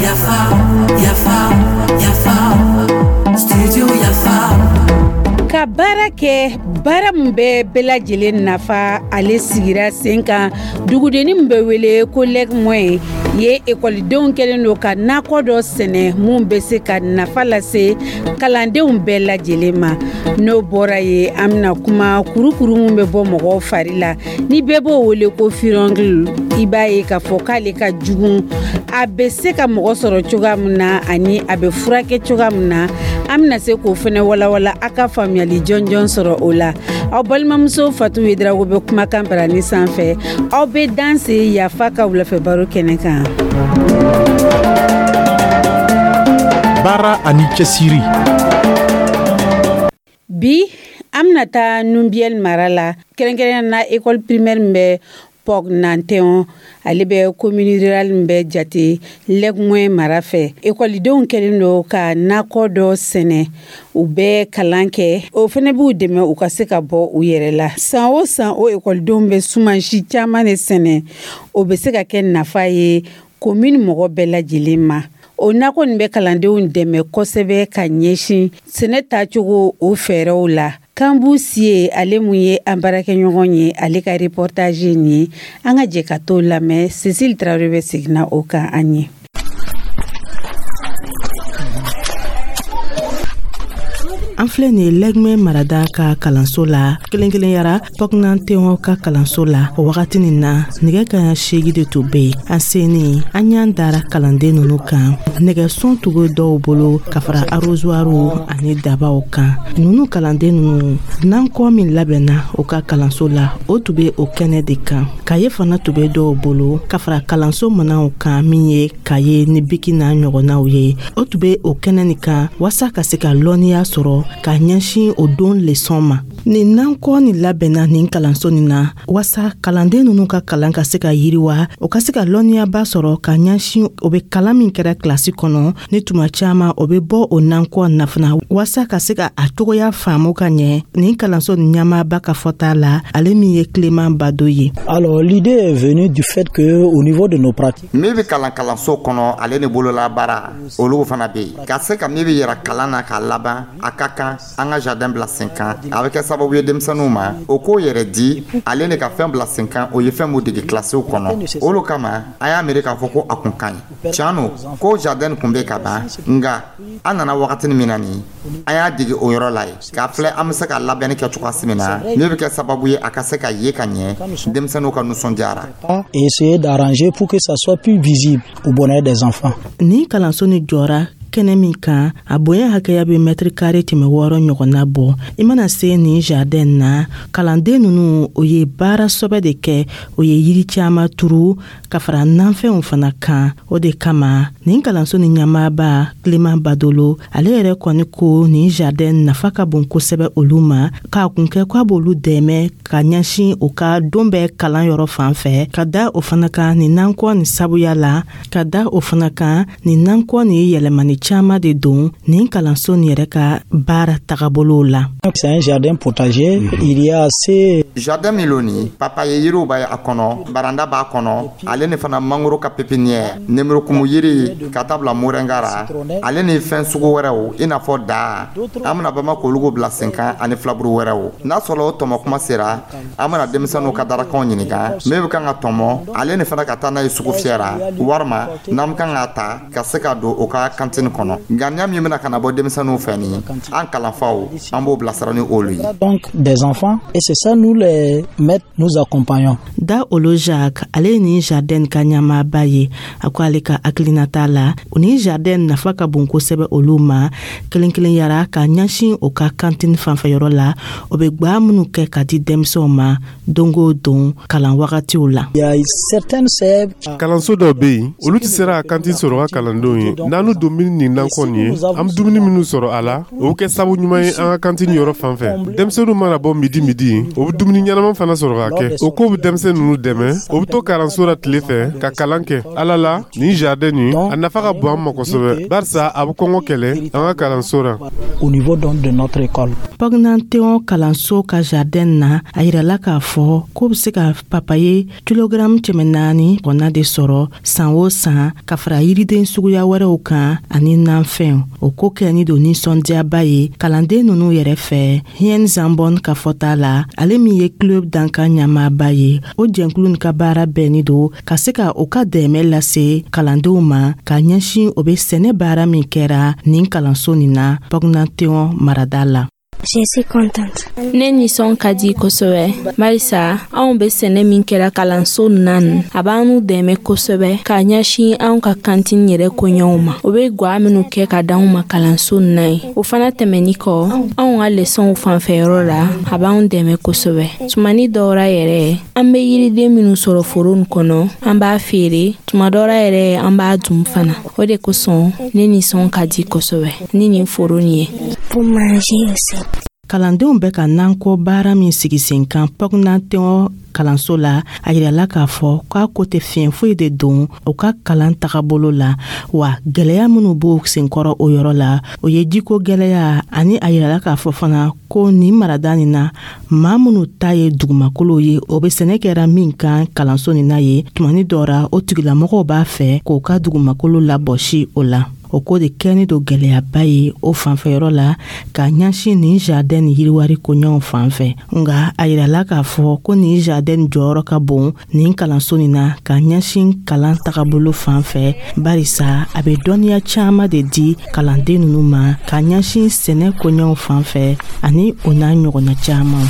Yafa, yafa, yafa, studio Yafa. Ka baara kɛ, baara min bɛ bɛɛ lajɛlen nafa, ale sigira sen kan dugudenni min bɛ wele ko Lɛgumɔye ye. Ekɔlidenw kɛlen don ka nakɔ dɔ sɛnɛ mun bɛ se ka nafa lase kalandenw bɛɛ lajɛlen ma. N'o bɔra ye, an bɛna kuma kurukuru min bɛ bɔ mɔgɔw fari la, ni bɛɛ b'o wele ko furoncle. I b'a ye k'a fɔ k'ale ka jugu, a bɛ se ka mɔgɔ sɔrɔ cogoya min na ani a bɛ furakɛ cogoya min na, an bɛna se k'o fɛnɛ walawala, a ka faamuyali jɔnjɔn sɔrɔ o la. Aw balimamuso Fatu Wedrago bɛ kumakan barani sanfɛ. Aw bɛ danse Yafa ka wulafɛ baro kɛnɛ kan. Baara ani cɛsiri. Bi, an bɛna taa Nubiyɛli mara la, kɛrɛnkɛrɛnnenya na école primaire min bɛ Pɔg Nantɛn, ale bɛ commune rurale min bɛ jate Lɛgumɔye mara fɛ. Ekɔlidenw kɛlen don ka nakɔ dɔ sɛnɛ, u bɛ kalan kɛ, o fana b'u dɛmɛ u ka se ka bɔ u yɛrɛ la. San o san, o ekɔlidenw bɛ sumansi caman de sɛnɛ, o bɛ se ka kɛ nafa ye commune mɔgɔ bɛɛ lajɛlen ma. O nakɔ nin bɛ kalandenw dɛmɛ kosɛbɛ ka ɲɛsin sɛnɛ taacogo o fɛɛrɛw la. Kanbu Sie, ale mun ye an baarakɛɲɔgɔn ye, ale ka reportage nin ye, an ka jɛ ka t'o lamɛn. Cécile Traoré bɛ seginna o kan an ye. An filɛ nin ye Lɛgumɛ marada ka kalanso la, kelen kelenyara Pɔknantɛn ka kalanso la. O wagati nin na, nɛgɛ kaɲa 8 de tun bɛ yen. An senin, an ɲan dara kalanden ninnu kan. Nɛgɛsun tun bɛ dɔw bolo ka fara arrosoirw ani dabaw kan. Ninnu kalanden ninnu, nankɔ min labɛnna u ka kalanso la, o tun bɛ o kɛnɛ de kan. Kaye fana tun bɛ dɔw bolo ka fara kalanso minɛnw kan, min ye kaye ni biki n'a ɲɔgɔnnaw ye. O tun bɛ o kɛnɛ nin kan waasa ka se ka lɔnniya sɔrɔ ka ɲɛsin o don lesɔn ma. Nin nankɔ nin labɛnna nin kalanso nin na waasa kalanden ninnu ka kalan ka se ka yiriwa, o ka se ka lɔnniyaba sɔrɔ ka ɲɛsin o bɛ kalan min kɛra kilasi kɔnɔ. Ni tuma caman o bɛ bɔ o nankɔ nafana waasa ka se ka a cogoya faamu ka ɲɛ. Nin kalanso nin ɲɛmaaba ka fɔta la, ale min ye Clément Bado ye. Alors, l'idée est venue du fait que au niveau de nos pratiques, Min bɛ kalan kalanso kɔnɔ, ale ni bololabaara, olu fana bɛ yen. Ka se ka min bɛ yɛrɛ kalan na k'a laban, a ka kan an ka jardin bila sen kan. A bɛ kɛ sababu ye denmisɛnninw ma, o k'o yɛrɛ di ale ni ka fɛn bila sen kan, o ye fɛn mun dege kilasiw kɔnɔ. Olu kama, an y'a miiri k'a fɔ ko a kun ka ɲi. Tiɲɛ don ko jardin kun bɛ ka ban, nka an nana wagatinin min na nin, an y'a dege o yɔrɔ la ye k'a filɛ an bɛ se ka labɛnni kɛ cogoya min na, min bɛ kɛ sababu ye a ka se ka ye ka ɲɛ, denmisɛnninw ka nisɔndiyara. Et essayer d'arranger pour que ça soit plus visible au bonheur des enfants. Nin kalanso ni jɔra kɛnɛ min kan, a bonya hakɛya bɛ mɛtiri kare 600 ɲɔgɔnna bɔ. I mana se nin jardin na, kalanden ninnu, o ye baara sɔbɛ de kɛ. O ye yiri caman turu ka fara nanfɛnw fana kan. O de kama nin kalanso ni ɲɛmaaba Clément Badolo, ale yɛrɛ kɔni ko nin jardin nafa ka bon kosɛbɛ olu ma, k'a kun kɛ k'a b'olu dɛmɛ ka ɲɛsin u ka don bɛɛ kalan yɔrɔ fan fɛ. Ka da o fana kan, nin nankɔ nin sabuya la, ka da o fana kan, nin nankɔ nin ye yɛlɛmani caman de don nin kalanso nin yɛrɛ ka baara tagabolow la. C'est un jardin potager, il y a assez Jardin min lo nin, papaye yiriw b'a a kɔnɔ, baranda b'a kɔnɔ, ale ni fana mangoro ka pépinière, nemurukumu yiri ka taa bila moringa ra, ale ni fɛn sugu wɛrɛw i n'a fɔ da, an bɛna bama k'olu bila sen kan, ani filaburu wɛrɛw. N'a sɔrɔ o tɔmɔ kuma sera, an bɛna denmisɛnninw ka darakanw ɲininka min bɛ kan ka tɔmɔ, ale ni fana ka taa n'a ye sugu fiyɛ ra, walima n'an bɛ kan k'a ta ka se ka don u ka cantine kɔnɔ. Ŋaniya min bɛna ka na bɔ denmisɛnninw fɛ nin, an kalanfaw, an b'o bilasira ni olu ye. Donc des enfants, et c'est ça, nous les maîtres, nous accompagnons. Da Olo Jacques, ale ye nin jardin ka ɲɛmaaba ye. A ko ale ka hakilinata la, nin jardin nafa ka bon kosɛbɛ olu ma, kelen kelen yara ka ɲɛsin o ka cantine fanfɛyɔrɔ la, o bɛ gwa minnu kɛ ka di denmisɛnw ma don o don kalan wagatiw la. Il y a certaines sèves Kalanso dɔw bɛ yen, olu tɛ sera ka cantine sɔrɔ ka kalandenw ye. N'an don min nin nakɔ nin ye, an bɛ dumuni minnu sɔrɔ a la, o bɛ kɛ sabu ɲuman ye an ka kantini yɔrɔ fan fɛ. Denmisɛnninw mana bɔ midi midi, o bɛ dumuni ɲɛnama fana sɔrɔ ka kɛ. O ko bɛ denmisɛn ninnu dɛmɛ, o bɛ to kalanso la tile fɛ ka kalan kɛ. Ala la, nin jardin nin, a nafa ka bon an ma kosɛbɛ, barisa a bɛ kɔngɔ kɛlɛ an ka kalanso la. Au niveau donc de notre école. Pɔgnanteon kalanso ka jardin na, a yirala k'a fɔ k'o be se ka papaye kilogaramu 400 ɲɔgɔnna de sɔrɔ san o san, ka fara yiriden suguya wɛrɛw kan ani nanfɛnw. O ko kɛni don ninsɔndiyaba ye kalanden nunu yɛrɛ fɛ. Hien Zambon ka fɔta la, ale min ye club dankan ɲɛmaaba ye, o jɛnkulu nin ka baara bɛnni don ka se ka o ka dɛmɛ lase kalandenw ma ka ɲɛsin o be sɛnɛ baara min kɛra nin kalanso nin na Pɔgnanteon marada la. Je suis contente. Ne nisɔn ka di kosɛbɛ, barisa anw bɛ sɛnɛ min kɛra kalanso na nin, a b'an dɛmɛ kosɛbɛ ka ɲɛsin anw ka kantini yɛrɛ koɲɛw ma. O bɛ gwa minnu kɛ ka d'anw ma kalanso na ye, o fana tɛmɛni kɔ, anw ka lesɔnw fanfɛyɔrɔ la, a b'anw dɛmɛ kosɛbɛ. Tumani dɔw ra yɛrɛ, an bɛ yiriden minnu sɔrɔ foro nin kɔnɔ, an b'a feere. Tuma dɔ ra yɛrɛ, an b'a dun fana. O de kosɔn ne nisɔn ka di kosɛbɛ ni nin foro nin ye. Pour manger aussi. Kalandenw bɛ ka nankɔ baara min sigi sen kan Pɔgnanteon kalanso la, a yirala k'a fɔ k'a ko tɛ fiɲɛ foyi de don u ka kalan tagabolo la. Wa gwɛlɛya minnu b'o senkɔrɔ o yɔrɔ la, o ye jiko gwɛlɛya, ani a yirala k'a fɔ fana ko nin marada nin na, maa minnu ta ye dugumakolow ye, o be sɛnɛ kɛra min kan kalanso nin na ye, tumani dɔ ra, o tigilamɔgɔw b'a fɛ k'o ka dugumakolo labɔsi o la. O ko de kɛni don gwɛlɛyaba ye o fanfɛyɔrɔ la ka ɲɛsin nin jardin ni yiriwari koɲɔgɔn fan fɛ. Nga a yirala k'a fɔ ko nin jardin jɔyɔrɔ ka bon nin kalanso nin na ka ɲɛsin kalan tagabolo fan fɛ, barisa a bɛ dɔnniya caaman de di kalanden nunu ma ka ɲɛsin sɛnɛ koɲɔgɔn fan fɛ ani o n'a ɲɔgɔnna caaman.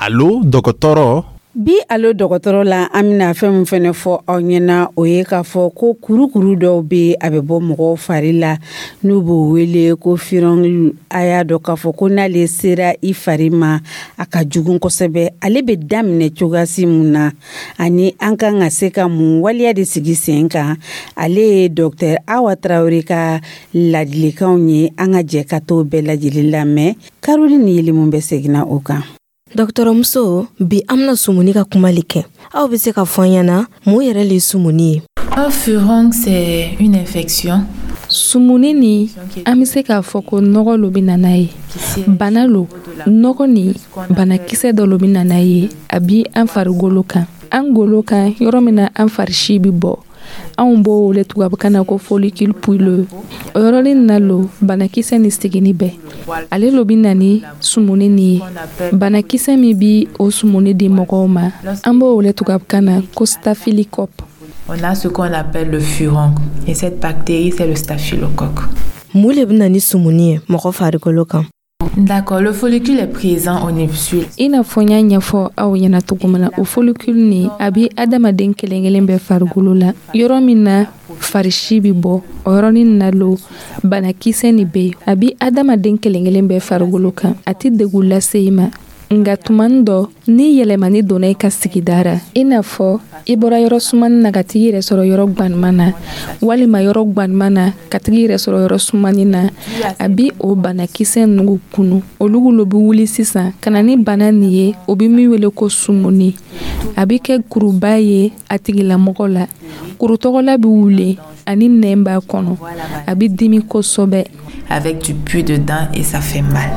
Alo dɔgɔtɔrɔ. Bi alo dɔgɔtɔrɔ la, an bɛna fɛn min fɛnɛ fɔ aw ɲɛna, o ye k'a fɔ ko kurukuru dɔw bɛ, a bɛ bɔ mɔgɔw fari la, n'u b'o wele ko furoncle. A y'a dɔn k'a fɔ ko n'ale sera i fari ma, a ka jugu kosɛbɛ. Ale bɛ daminɛ cogoyasi mun na, ani an kan ka se ka mun waleya de sigi sen kan? Ale ye docteur Awa Tarawele ka ladilikanw ye. An ka jɛ ka t'o bɛɛ lajɛlen lamɛn. Caroline Yelimu bɛ seginna o kan. Dɔgɔtɔrɔmuso, bi an bɛna sumuni ka kuma le kɛ. Aw bɛ se ka fɔ an ɲɛna mun yɛrɛ le ye sumuni ye? Un furoncle, c'est une infection. Sumuni ni, an bɛ se k'a fɔ ko nɔgɔ lo bɛ na n'a ye. Bana lo, nɔgɔ ni banakisɛ dɔ lo bɛ na n'a ye. A bi an farikolo kan, an golo kan, yɔrɔ min na an farisi bɛ bɔ, anw b'o wele tubabukan na ko follicule pileux. O yɔrɔnin na lo banakisɛ ni sigini bɛɛ, ale lo bɛ na ni sumuni nin ye. Banakisɛ min bi o sumuni di mɔgɔw ma, an b'o wele tubabukan na ko staphylocoque. On a ce qu'on appelle le furoncle, et cette bactérie, c'est le staphylocoque. Mun le bɛ na ni sumuni ye mɔgɔ farikolo kan? D'accord, le follicule est présent au niveau. I n'a fɔ n y'a ɲɛfɔ aw ɲɛna cogo min na, o follicule nin, a bi adamaden kelen kelen bɛɛ farikolo la. Yɔrɔ min na farisi bi bɔ, o yɔrɔnin na lo banakisɛ nin bɛ yen. A bi adamaden kelen kelen bɛɛ farikolo kan, a ti degun lase i ma. Nka tumani dɔ, ni yɛlɛmani donna i ka sigida ra, i n'a fɔ i bɔra yɔrɔ sumani na ka tigi yɛrɛ sɔrɔ yɔrɔ gwanuman na, walima yɔrɔ gwanuman na ka tigi yɛrɛ sɔrɔ yɔrɔ sumani na, a bi o banakisɛ nugu kunu. Olu lo bi wuli sisan ka na ni bana nin ye, o bi min wele ko sumuni. A bi kɛ kuruba ye a tigilamɔgɔ la. Kuru tɔgɔla bi wuli ani nɛn b'a kɔnɔ, a bi dimi kosɛbɛ. Avec du pus dedans et ça fait mal.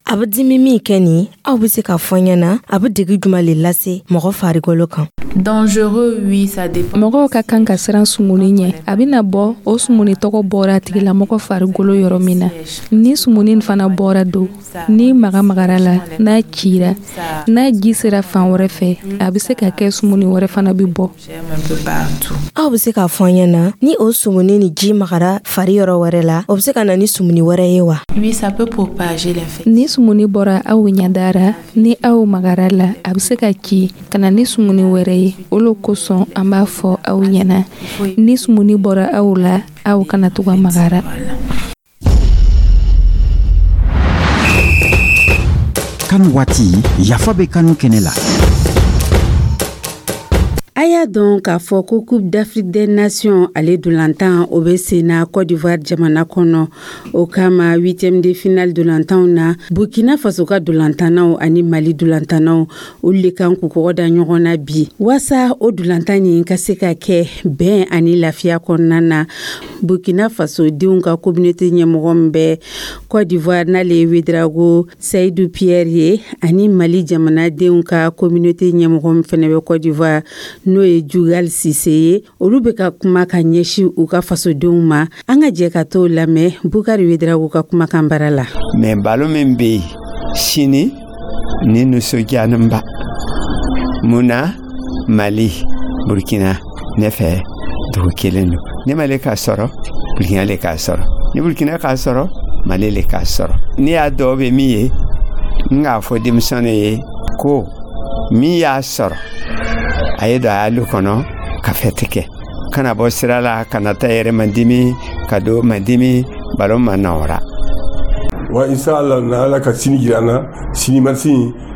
A bɛ dimi min kɛ nin, aw bɛ se k'a fɔ n ɲɛna a bɛ degi jumɛn le lase mɔgɔ farikolo kan? Dangereux, oui, ça dépend. Mɔgɔw ka kan ka siran sumuni ɲɛ. A bɛna bɔ, o sumuni tɔgɔ bɔra a tigilamɔgɔ farikolo yɔrɔ min na. Ni sumuni fana bɔra don, ni maga magara la, n'a cira, n'a ji sera fan wɛrɛ fɛ, a bɛ se ka kɛ sumuni wɛrɛ fana bɛ bɔ. Aw bɛ se k'a fɔ an ɲɛna ni o sumuni ni ji magara fari yɔrɔ wɛrɛ la, o bɛ se ka na ni sumuni wɛrɛ ye wa? Oui, ça peut propager l'infection. Ni sumuni bɔra aw ɲɛda ra, ni aw magara la, a bɛ se ka ci ka na ni sumuni wɛrɛ ye. O lo kosɔn an b'a fɔ aw ɲɛna, ni sumuni bɔra aw la, aw kana to ka magara. CAN waati, Yafa bɛ kanu kɛnɛ la. A y'a dɔn k'a fɔ ko Coupe d'Afrique des Nations, ale dolantan, o bɛ sen na Côte d'Ivoire jamana kɔnɔ. O kama, huitième de finale dolantanw na, Burkina Faso ka dolantannaw ani Mali dolantannaw, olu de kan k'u kɔgɔ da ɲɔgɔn na bi, waasa o dolantan nin ka se ka kɛ bɛn ani lafiya kɔnɔna na. Burkina Faso denw ka communauté ɲɛmɔgɔ min bɛ Côte d'Ivoire, n'ale ye Ouédraogo Seydou Pierre ye, ani Mali jamanadenw ka communauté ɲɛmɔgɔ min fɛnɛ bɛ Côte d'Ivoire, n'o ye Jugal Sise ye, olu bɛ ka kuma ka ɲɛsin u ka fasodenw ma. An ka jɛ ka t'o lamɛn Bukari Ouédraogo ka kumakan bara la. Mais balo min bɛ yen sini ni nisɔndiyalenba mun na, Mali, Burkina, ne fɛ dugu kelen don. Ni Mali k'a sɔrɔ, Burkina le k'a sɔrɔ. Ni Burkina k'a sɔrɔ, Mali le k'a sɔrɔ. Ne y'a dɔw bɛ min ye, n k'a fɔ denmisɛnnin ye ko min y'a sɔrɔ, a ye don a y'alu kɔnɔ ka fɛti kɛ, kana bɔ sira la, kana taa yɛrɛ mandimi ka don mandimi balo ma nɔgɔra. Wa inshallah, na Ala ka sini jira an na. Sini match,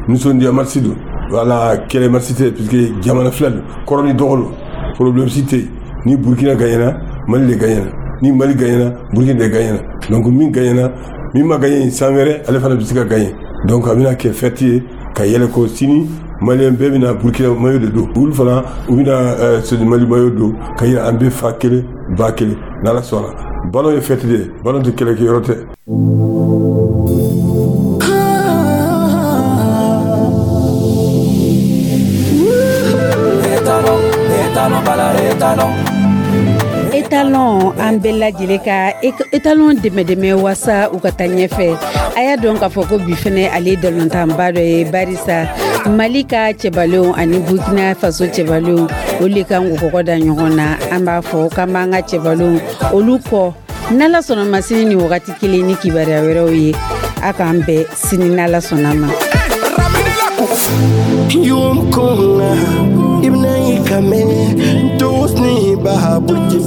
nisɔndiya match don, wala kɛlɛ match tɛ, puisque jamana fila don, kɔrɔ ni dɔgɔ don, problème si tɛ. Ni Burkina gagnera, Mali de gagnera. Ni Mali gagnera, Burkina de gagnera. Donc min gagnera, min ma gagné san wɛrɛ, ale fana bɛ se ka gagné. Donc a bɛna kɛ fête ye ka yɛlɛ ko sini Malien bɛɛ bɛna Burkina maillot de don, olu fana u bɛna Mali maillot don, ka yira an bɛ fa kelen ba kelen. N'Ala sɔnna, ballon ye fête de ye, ballon tɛ kɛlɛkɛyɔrɔ tɛ. Étalon, an bɛɛ lajɛlen ka étalon dɛmɛ dɛmɛ waasa u ka taa ɲɛfɛ. A y'a dɔn k'a fɔ ko bi fɛnɛ, ale balontanba dɔ ye, barisa Mali ka cɛbalenw ani Burkina Faso cɛbalenw, olu de kan k'u kɔgɔ da ɲɔgɔn na. An b'a fɔ k'an b'an ka cɛbalenw olu kɔ. N'Ala sɔnna ma, sini ni wagati kelen ni kibaruya wɛrɛw ye, a k'an bɛn sini n'Ala sɔnna ma. Yum kunga ibna ikame tosni baha burji.